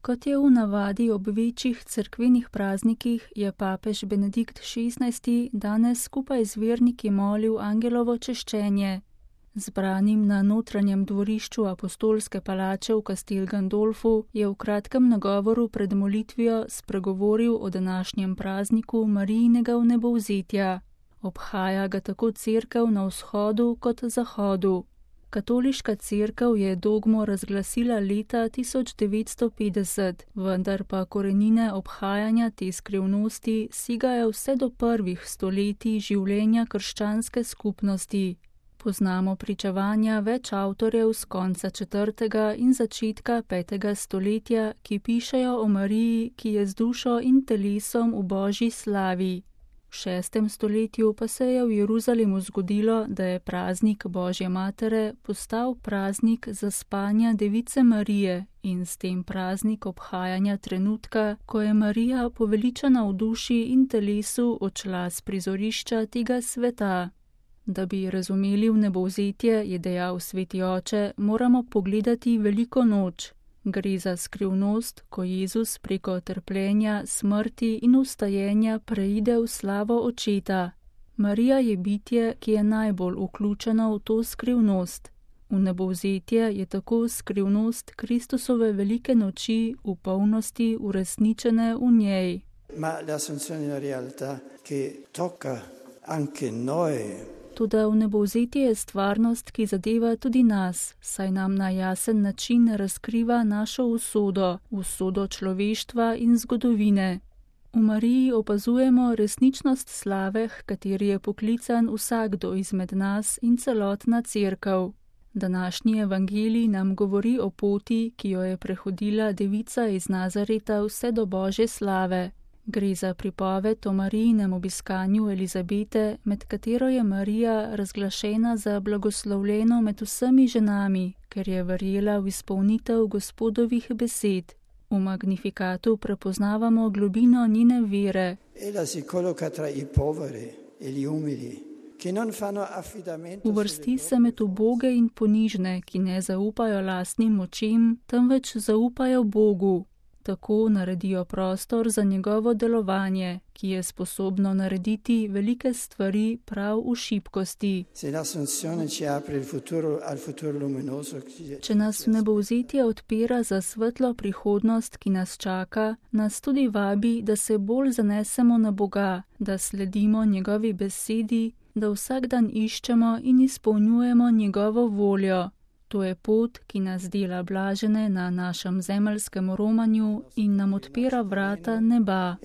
Kot je v navadi ob večjih cerkvenih praznikih, je papež Benedikt XVI danes skupaj z verniki molil angelovo češčenje. Zbranim na notranjem dvorišču apostolske palače v Castel Gandolfu je v kratkem nagovoru pred molitvijo spregovoril o današnjem prazniku Marijinega vnebovzetja. Obhaja ga tako cerkev na vzhodu kot zahodu. Katoliška cerkev je dogmo razglasila leta 1950, vendar pa korenine obhajanja te skrivnosti segajo vse do prvih stoletij življenja krščanske skupnosti. Poznamo pričevanja več avtorjev z konca 4. in začetka 5. stoletja, ki pišejo o Mariji, ki je z dušo in telesom v božji slavi. V 6. stoletju pa se je v Jeruzalemu zgodilo, da je praznik Božje matere postal praznik zaspanja Device Marije in s tem praznik obhajanja trenutka, ko je Marija poveličana v duši in telesu odšla s prizorišča tega sveta. Da bi razumeli vnebovzetje, je dejal sveti oče, moramo pogledati veliko noč. Gre za skrivnost, ko Jezus preko trpljenja, smrti in vstajenja preide v slavo očeta. Marija je bitje, ki je najbolj vključeno v to skrivnost. Vnebovzetje je tako skrivnost Kristusove velike noči v polnosti uresničene v njej. Ma l'assunzione è una realtà che tocca anche noi. Toda vnebovzetje je stvarnost, ki zadeva tudi nas, saj nam na jasen način razkriva našo usodo, usodo človeštva in zgodovine. V Mariji opazujemo resničnost slave, h kateri je poklican vsakdo izmed nas in celotna cerkev. Današnji evangelij nam govori o poti, ki jo je prehodila devica iz Nazareta vse do Božje slave. Gre za pripoved o Marijinem obiskanju Elizabete, med katero je Marija razglašena za blagoslovljeno med vsemi ženami, ker je verjela v izpolnitev Gospodovih besed. V Magnifikatu prepoznavamo globino njene vere. Uvrsti se med uboge in ponižne, ki ne zaupajo lastnim močem, temveč zaupajo Bogu. Tako naredijo prostor za njegovo delovanje, ki je sposobno narediti velike stvari prav v šibkosti. Če nas vnebovzetje odpira za svetlo prihodnost, ki nas čaka, nas tudi vabi, da se bolj zanesemo na Boga, da sledimo njegovi besedi, da vsak dan iščemo in izpolnjujemo njegovo voljo. To je pot, ki nas dela blažene na našem zemeljskem romanju in nam odpira vrata neba.